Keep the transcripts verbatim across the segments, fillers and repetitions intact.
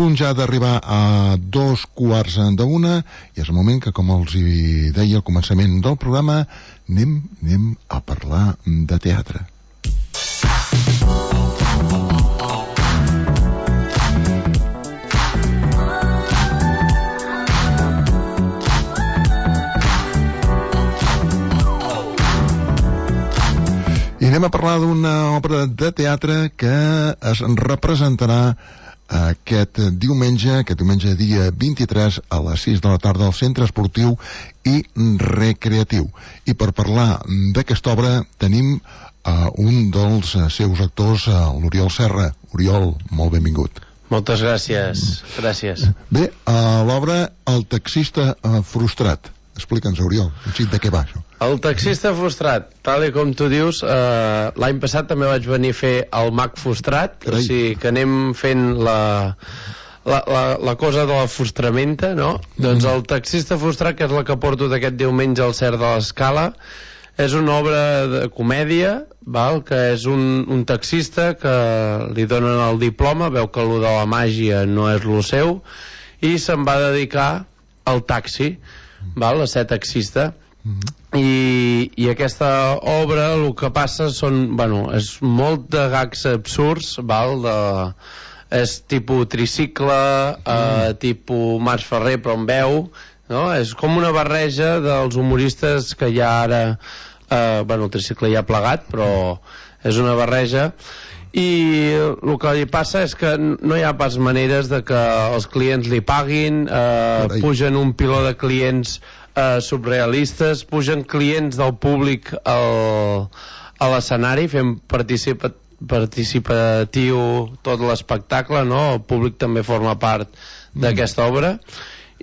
punt ja d'arribar a dos quarts d'una i és el moment que, com els hi deia al començament del programa, anem, anem a parlar de teatre. I anem a parlar d'una obra de teatre que es representarà aquest diumenge, aquest diumenge dia vint-i-tres a les sis de la tarda al Centre Esportiu i Recreatiu. I per parlar d'aquesta obra tenim uh, un dels seus actors, uh, l'Oriol Serra. Oriol, molt benvingut. Moltes gràcies, gràcies. Bé, uh, l'obra El taxista uh, frustrat. Explica'ns, Oriol, un xic de què va això. El taxista frustrat, tal i com tu dius, eh, l'any passat també vaig venir a fer el mag frustrat. Carai. O sigui que anem fent la, la, la, la cosa de la frustramenta, no? Mm. Doncs el taxista frustrat, que és la que porto d'aquest diumenge al Cert de l'Escala, és una obra de comèdia, val? Que és un, un taxista que li donen el diploma, veu que allò de la màgia no és lo seu, i se'n va dedicar al taxi, val? A ser taxista. Mm-hmm. I, i aquesta obra el que passa són, bueno, és molt de gags absurds, val? De, és tipus tricicle, mm. eh, tipus Mas Ferrer però amb veu, no? És com una barreja dels humoristes que hi ha ara, eh, bueno, el tricicle ja ha plegat, però és una barreja. I el que li passa és que no hi ha pas maneres de que els clients li paguin, eh, pugen un piló de clients Uh, subrealistes, pugen clients del públic al, a l'escenari, fent participa, participatiu tot l'espectacle, no? El públic també forma part mm. d'aquesta obra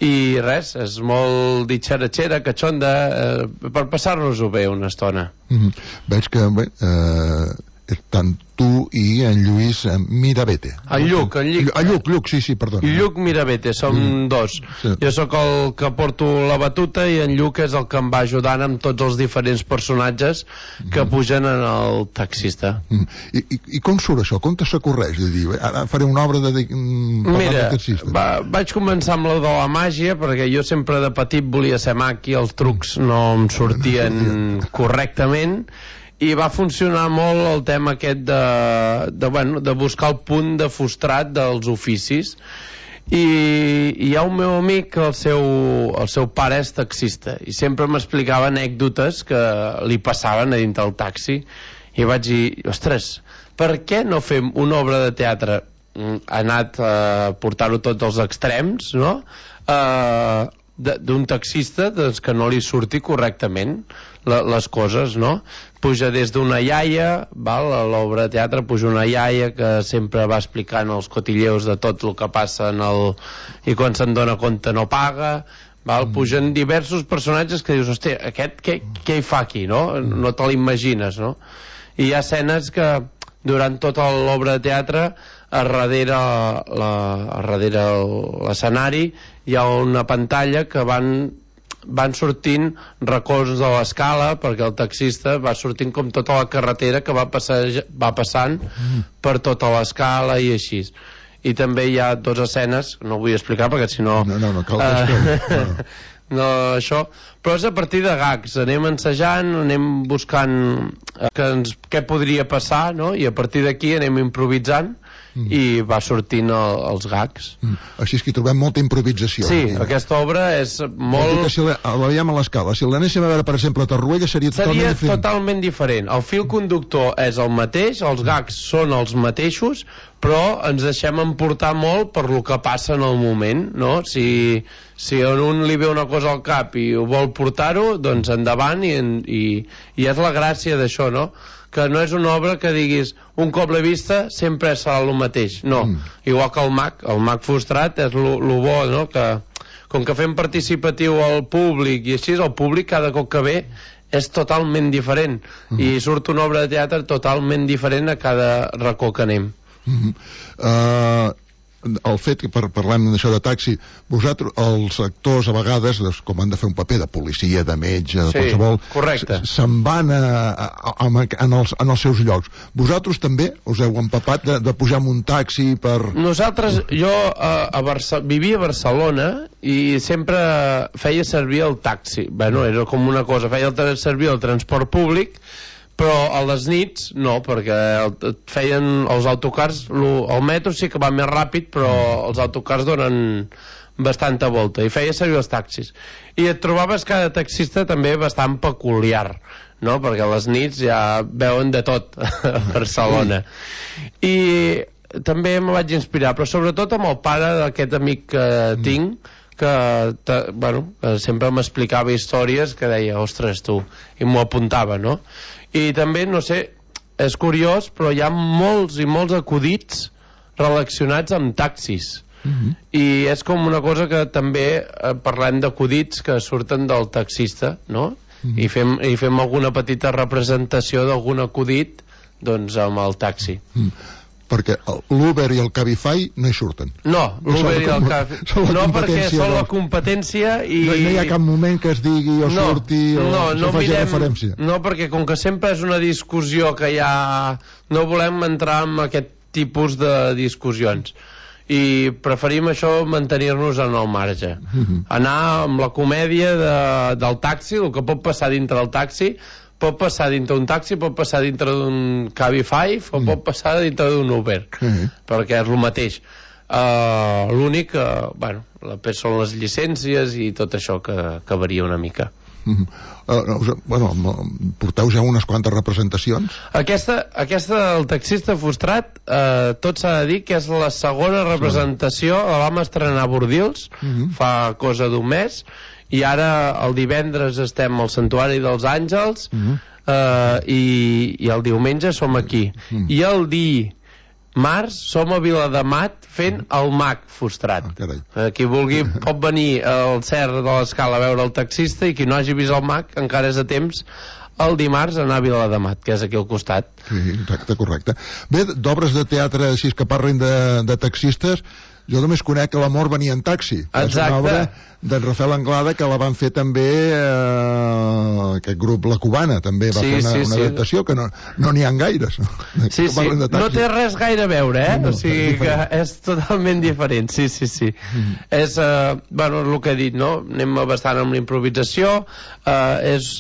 i res, és molt ditxeratxera, catxonda, eh, per passar-nos-ho bé una estona. Mm-hmm. Veig que bé, eh, tant tu i en Lluís Mirabete. En Lluc, en Lluc. En Lluc, Lluc, sí, sí, perdona. Lluc Mirabete, som mm. dos. Sí. Jo sóc el que porto la batuta i en Lluc és el que em va ajudant amb tots els diferents personatges que mm. pugen en el taxista. Mm. I, i, I com surt això? Com te s'acorreix? De dir, ara faré una obra de... Mira, va, vaig començar amb la de la màgia, perquè jo sempre de petit volia ser mag i els trucs no em sortien correctament, i va funcionar molt el tema aquest de, de, bueno, de buscar el punt de frustrat dels oficis. I, i hi ha un meu amic que el seu, el seu pare és taxista i sempre m'explicava anècdotes que li passaven a dintre del taxi i vaig dir, ostres, per què no fem una obra de teatre? Ha anat a portar-ho tots als extrems, no? Uh, d'un taxista doncs, que no li surti correctament la, les coses, no? Puja des d'una iaia, val? A l'obra de teatre puja una iaia que sempre va explicant els cotilleus de tot el que passa en el... i quan se'n dona compte no paga, val? Pugen diversos personatges que dius, hòstia, aquest què, què hi fa aquí, no? No te l'imagines, no? I hi ha escenes que durant tota l'obra de teatre a darrere la, a darrere l'escenari hi ha una pantalla que van van sortint racons de l'escala perquè el taxista va sortint com tota la carretera que va, passar, va passant mm. per tota l'escala i així. I també hi ha dues escenes, no ho vull explicar perquè si no... No, no, no cal que uh, no. no, això, però és a partir de gags, anem ensajant, anem buscant que ens, què podria passar, no? I a partir d'aquí anem improvisant mm. i va sortint el, els gags. Mm. Així és que hi trobem molta improvisació. Sí, eh? Aquesta obra és molt... Si la, la veiem a l'escala, si l'anéssim a veure, per exemple, a Torroella, seria, seria totalment diferent. totalment diferent. El fil conductor és el mateix, els gags són els mateixos, però ens deixem emportar molt per lo que passa en el moment, no? Si, si a un li ve una cosa al cap i ho vol portar-ho, doncs endavant, i, i, i és la gràcia d'això, no? Que no és una obra que diguis un cop l'he vista sempre serà el mateix, no, mm. igual que el mag el mag frustrat és lo, lo bo, no? Que com que fem participatiu al públic i així, el públic cada cop que ve és totalment diferent mm. i surt una obra de teatre totalment diferent a cada racó que anem. Mm-hmm. uh, el fet que par parlem d'això de taxi, vosaltres, els actors a vegades, doncs, com han de fer un paper de policia, de metge, de sí, qualsevol, se'n van a, a, a, en, els, en els seus llocs. Vosaltres també us heu empapat de, de pujar en un taxi per... Nosaltres, jo a, a Barça, vivia a Barcelona i sempre feia servir el taxi. Bueno, era com una cosa, feia el, servir el transport públic, però a les nits no, perquè el, feien els autocars, lo, el metro sí que va més ràpid, però els autocars donen bastanta volta, i feia servir els taxis. I et trobaves cada taxista també bastant peculiar, no? Perquè a les nits ja veuen de tot a Barcelona. I també me vaig inspirar, però sobretot amb el pare d'aquest amic que tinc, que, te, bueno, que sempre m'explicava històries que deia, ostres, tu, i m'ho apuntava, no? I també, no sé, és curiós, però hi ha molts i molts acudits relacionats amb taxis. Uh-huh. I és com una cosa que també eh, parlem d'acudits que surten del taxista, no? Uh-huh. I, fem, i fem alguna petita representació d'algun acudit, doncs, amb el taxi. Uh-huh. Perquè l'Uber i el Cabify no hi surten. No, l'Uber i el Cabify no, perquè són la competència i... No, no hi ha cap moment que es digui o no, surti o no, no faci mirem, referència. No, perquè com que sempre és una discussió que hi ha... No volem entrar en aquest tipus de discussions. I preferim això, mantenir-nos en el marge. Uh-huh. Anar amb la comèdia de, del taxi, el que pot passar dintre del taxi, pot passar dintre d'un taxi, pot passar dintre d'un Cabify o mm. pot passar dintre d'un Uber, mm. perquè és el mateix. Uh, l'únic que, bueno, la són les llicències i tot això que, que varia una mica. Mm. Uh, bueno, porteu ja unes quantes representacions? Aquesta, aquesta del taxista frustrat, uh, tot s'ha de dir que és la segona representació, la vam estrenar a Bordils, mm-hmm. fa cosa d'un mes, i ara el divendres estem al Santuari dels Àngels, uh-huh. eh, i, i el diumenge som aquí. Uh-huh. I el dimarts som a Viladamat fent el mag frustrat. Ah, qui vulgui pot venir al Cer de l'Escala a veure el taxista, i qui no hagi vist el mag encara és a temps el dimarts anar a Viladamat, que és aquí al costat. Sí, exacte, correcte. Bé, d'obres de teatre així que parlin de, de taxistes, jo només conec que l'amor venia en taxi. Exacte. És una obra d'en Rafael Anglada, que la van fer també eh, aquest grup La Cubana, també va sí, fer una, sí, una sí. adaptació que no n'hi no ha gaires. Sí, sí, no té res gaire a veure, eh? No, o sigui que és totalment diferent, sí, sí, sí. Mm. És, eh, bueno, el que he dit, no? Anem bastant amb l'improvisació, eh, és...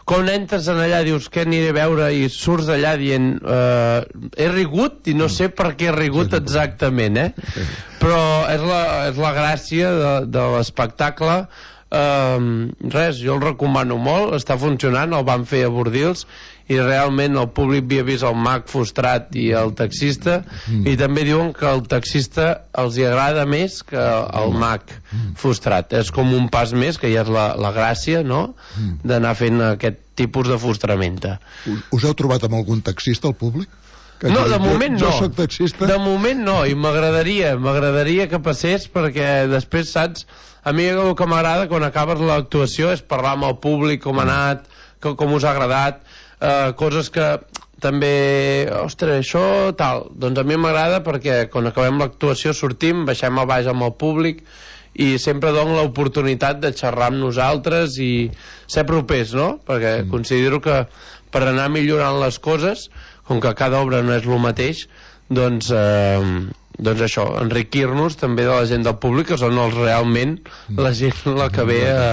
quan entres en allà dius què aniré a veure i surts d'allà dient eh, he rigut i no sé per què he rigut exactament, eh? Però és la, és la gràcia de, de l'espectacle. eh, res, jo el recomano molt, està funcionant, el van fer a Bordils i realment el públic havia vist el mag frustrat i el taxista, mm. i també diuen que el taxista els hi agrada més que el mag mm. frustrat. És com un pas més, que ja és la, la gràcia, no?, mm. d'anar fent aquest tipus de frustramenta. Us, us heu trobat amb algun taxista al públic? Que no, de moment jo, no. Jo soc taxista. De moment no, i m'agradaria, m'agradaria que passés, perquè després, saps, a mi el que m'agrada quan acabes l'actuació és parlar amb el públic, com ha anat, com, com us ha agradat, eh, coses que també, ostres, això tal, doncs a mi m'agrada perquè quan acabem l'actuació sortim, baixem a baix amb el públic i sempre dono l'oportunitat de xerrar amb nosaltres i ser propers, no? Perquè mm. considero que per anar millorant les coses, com que cada obra no és el mateix, doncs, eh, doncs això, enriquir-nos també de la gent del públic, que són els realment la gent la que ve a,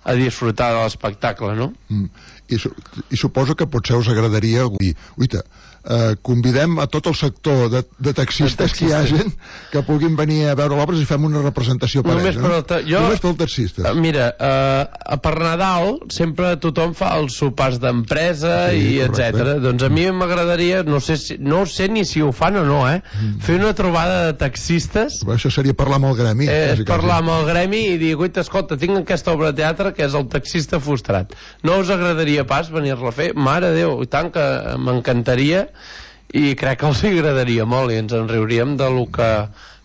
a disfrutar de l'espectacle, no? Mm. I, su I suposo que potser us agradaria dir, uita, eh, convidem a tot el sector de, de taxistes que hi ha gent que puguin venir a veure l'obra i fem una representació per només ells, no? Per jo, només pel taxistes. Mira, eh, per Nadal sempre tothom fa els sopars d'empresa sí, i etcètera. Doncs a mi m'agradaria, no sé si, no sé ni si ho fan o no, eh? Mm. Fer una trobada de taxistes. Però això seria parlar amb el gremi. Eh, parlar amb el gremi i dir, guaita, escolta, tinc aquesta obra de teatre que és El taxista frustrat. No us agradaria pas venir-la a fer? Mare de Déu, i tant que m'encantaria, i crec que els agradaria molt i ens en riuríem de lo que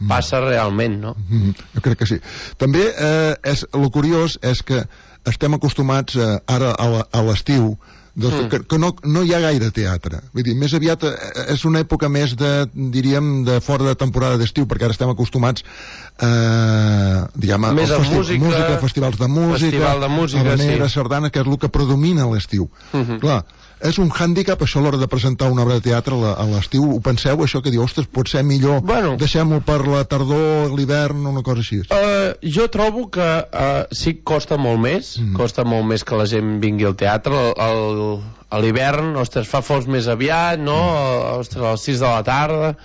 passa realment, no? Mm, jo crec que sí. També eh, és, el curiós és que estem acostumats eh, ara a l'estiu Doncs mm. que, que no, no hi ha gaire teatre. Vull dir, més aviat és una època més de, diríem, de fora de temporada d'estiu, perquè ara estem acostumats eh, diguem, més a música, música, festivals de música, festival de música, habanera, sí. sardana, que és el que predomina a l'estiu. Mm-hmm. Clar, és un hàndicap això a l'hora de presentar una obra de teatre a l'estiu. Ho penseu, això que diu, ostres, pot ser millor, bueno, deixem-ho per la tardor, l'hivern, una cosa així? Uh, jo trobo que uh, sí que costa molt més, mm. costa molt més que la gent vingui al teatre. El, a l'hivern, ostres, fa fos més aviat, no? Mm. Ostres, a les sis de la tarda.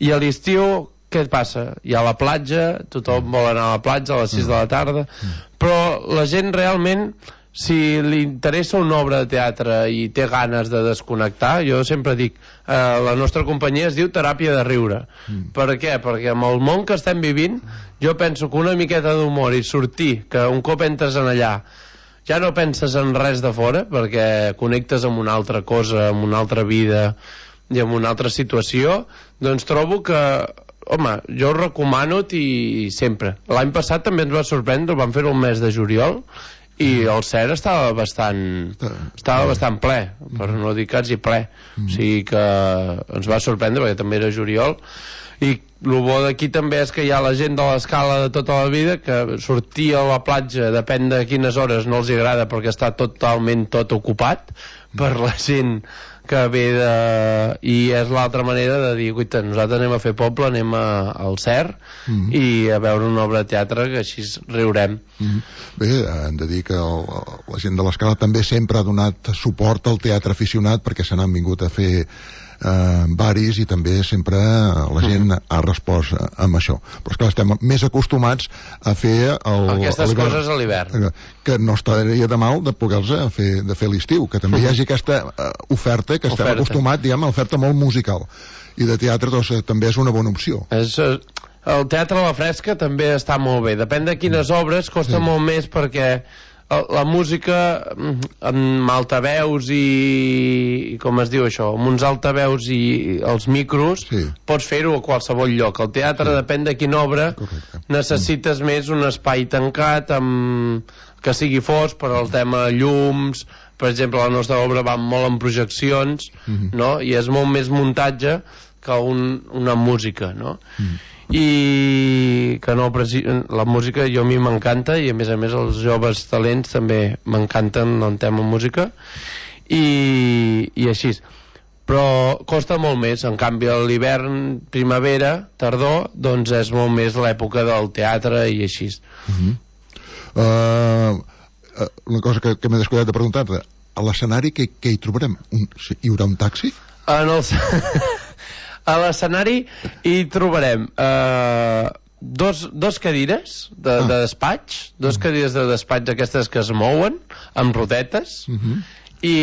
I a l'estiu, què et passa? Hi ha la platja, tothom mm. vol anar a la platja a les sis mm. de la tarda, mm. però la gent realment, si li interessa una obra de teatre i té ganes de desconnectar, jo sempre dic, eh, la nostra companyia es diu Teràpia de Riure. Mm. Per què? Perquè amb el món que estem vivint, jo penso que una miqueta d'humor i sortir, que un cop entres en allà ja no penses en res de fora, perquè connectes amb una altra cosa, amb una altra vida i amb una altra situació, doncs trobo que, home, jo ho recomano i sempre. L'any passat també ens va sorprendre, vam fer-ho el mes de juliol, i el C E R estava bastant estava bastant ple, per no dir quasi ple, o sigui que ens va sorprendre perquè també era juliol. I el bo d'aquí també és que hi ha la gent de l'escala de tota la vida que sortir a la platja, depèn de quines hores, no els agrada perquè està totalment tot ocupat per la gent que ve de... i és l'altra manera de dir, guaita, nosaltres anem a fer poble, anem a, al C E R mm-hmm. i a veure una obra de teatre que així riurem. Mm-hmm. Bé, hem de dir que el, la gent de l'escala també sempre ha donat suport al teatre aficionat perquè se n'han vingut a fer eh, baris i també sempre la gent mm. ha respost amb això. Però esclar, estem més acostumats a fer el, aquestes coses a l'hivern, que no estaria de mal de poder-los fer, de fer l'estiu, que també mm. hi hagi aquesta uh, oferta que estem oferta. acostumats, diguem, a l'oferta molt musical i de teatre, doncs també és una bona opció. És, el teatre a la fresca també està molt bé, depèn de quines mm. obres, costa sí. molt més perquè la música amb altaveus i, i com es diu això, amb uns altaveus i els micros sí. pots fer-ho a qualsevol lloc. El teatre sí. depèn de quina obra. Correcte. Necessites mm. més un espai tancat amb... que sigui fos per al tema llums. Per exemple, la nostra obra va molt en projeccions, mm-hmm. no? I és molt més muntatge que un, una música, no? Mm. I que no, la música jo a mi m'encanta i a més a més els joves talents també m'encanten en tema música i, i així, però costa molt més. En canvi a l'hivern, primavera, tardor, doncs és molt més l'època del teatre i així. uh-huh. uh, una cosa que, que m'he descuidat de preguntar-te, a l'escenari què, què hi trobarem? Un, hi haurà un taxi? En el... A l'escenari hi trobarem eh, dos, dos cadires de, ah. de despatx, dos uh-huh. cadires de despatx aquestes que es mouen amb rodetes uh-huh. i,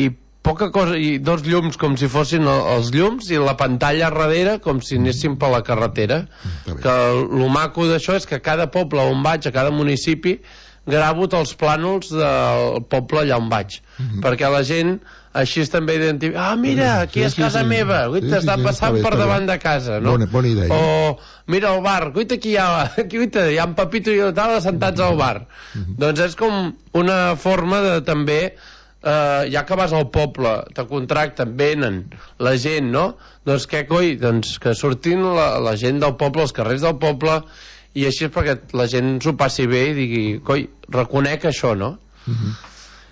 i poca cosa, i dos llums com si fossin els llums i la pantalla darrere com si anéssim per la carretera. Uh-huh. Que el maco d'això és que a cada poble on vaig, a cada municipi, gravo els plànols del poble allà on vaig, uh-huh. perquè la gent així també identifica, ah mira, aquí sí, és casa sí, meva, guita, sí, està sí, passant sí, per davant de casa, no? Bona, bona idea. O mira el bar, guita, aquí hi ha, aquí, guita, hi ha en Pepito i tal assentats al bar. Uh-huh. Doncs és com una forma de també, eh, ja que vas al poble, te contracten, venen la gent, no? Doncs què coi? Doncs que surtin la, la gent del poble, els carrers del poble, i així és perquè la gent s'ho passi bé i digui, coi, reconec això, no? Uh-huh.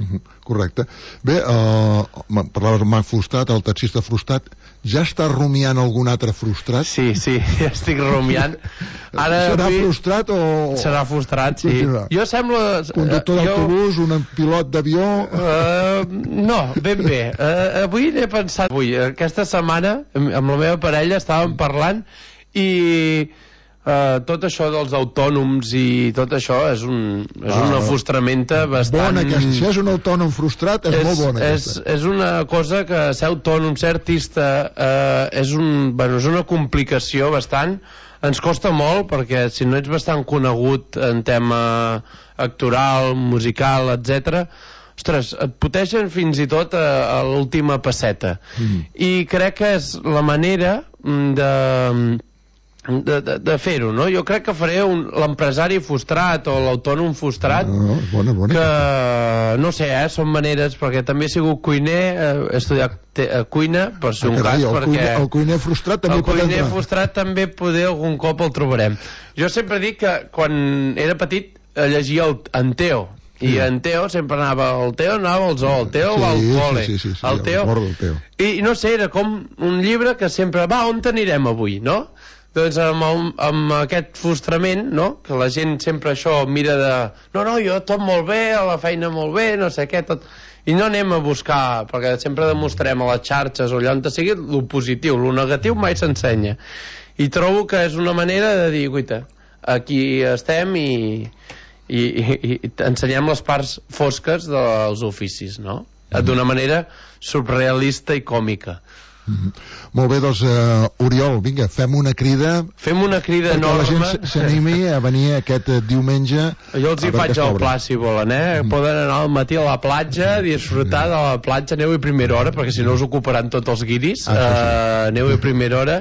Uh-huh. Correcte. Bé, uh, parlaves amb Marc Frustrat, el taxista frustrat. Ja està rumiant algun altre frustrat? Sí, sí, ja estic rumiant. Ara, serà avui... frustrat o... Serà frustrat, sí. Jo sembla... Conductor uh, d'autobús, jo... un pilot d'avió... Uh, no, ben bé. Uh, avui n'he pensat... Avui, aquesta setmana, amb la meva parella estàvem parlant i... Uh, tot això dels autònoms i tot això és, un, és ah, una frustramenta bastant... Bona aquesta, si és un autònom frustrat és, és molt bona és, és una cosa que ser autònom, ser artista uh, és, un, bueno, és una complicació bastant, ens costa molt perquè si no ets bastant conegut en tema actoral, musical, etcètera, ostres, et poteixen fins i tot a, a l'última passeta. Mm. I crec que és la manera de... de, de, de fer-ho, no? Jo crec que faré l'empresari frustrat o l'autònom frustrat, no, bona, bona. que no sé, eh, són maneres, perquè també he sigut cuiner, he estudiat te, eh, cuina, per ser un carai, cas, el perquè cuiner, el cuiner frustrat també el pot cuiner entrar. frustrat també poder algun cop el trobarem. Jo sempre dic que quan era petit llegia el, en Teo, i en Teo sempre anava, el Teo anava al zoo, el Teo sí, va al col·le, sí, sí, sí, sí, el Teo, el Teo, i no sé, era com un llibre que sempre, va, on t'anirem avui, no? Doncs amb, el, amb aquest frustrament, no? Que la gent sempre això mira de no, no, jo tot molt bé, a la feina molt bé, no sé què, tot... I no anem a buscar, perquè sempre demostrem a les xarxes o allà on sigui el positiu, el negatiu mai s'ensenya. I trobo que és una manera de dir, guaita, aquí estem i, i, i, i ensenyem les parts fosques dels oficis, no? D'una manera surrealista i còmica. Mm-hmm. Molt bé, doncs uh, Oriol, vinga, fem una crida fem una crida enorme perquè la gent s'animi a venir aquest uh, diumenge. Jo els hi faig al pla si volen, eh? Mm. Poden anar al matí a la platja, disfrutar de la platja, aneu a primera hora perquè si no us ocuparan tots els guiris. ah, sí, sí. Uh, aneu a primera hora,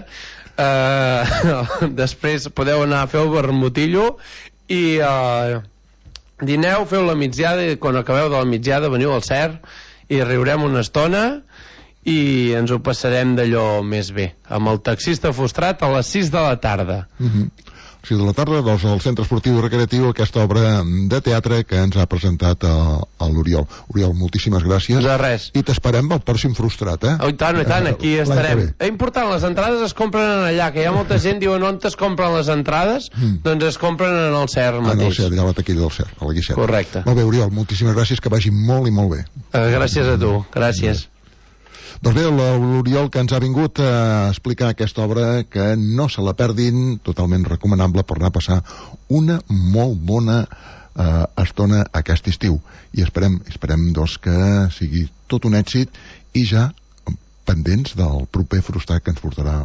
uh, després podeu anar a fer el vermutillo i uh, dineu, feu la migdiada i quan acabeu de la migdiada veniu al Cer i riurem una estona i ens ho passarem d'allò més bé, amb el taxista frustrat a les sis de la tarda. Mm-hmm. sis de la tarda, doncs, al Centre Esportiu i Recreatiu, aquesta obra de teatre que ens ha presentat l'Oriol. Oriol, moltíssimes gràcies. De res. I t'esperem al pròxim frustrat, eh? Oh, i tant, i tant, aquí eh, estarem. És important, les entrades es compren allà, que hi ha molta gent diuen on es compren les entrades, mm. doncs es compren en el C E R mateix. En el C E R, allà a la taquilla del C E R, a la Guixeta. Correcte. Molt bé, Oriol, moltíssimes gràcies, que vagi molt i molt bé. Uh, gràcies a tu, gràcies. Doncs bé, l'Oriol que ens ha vingut a explicar aquesta obra, que no se la perdin, totalment recomanable per anar a passar una molt bona eh, estona aquest estiu. I esperem, esperem doncs, que sigui tot un èxit i ja pendents del proper frustrat que ens portarà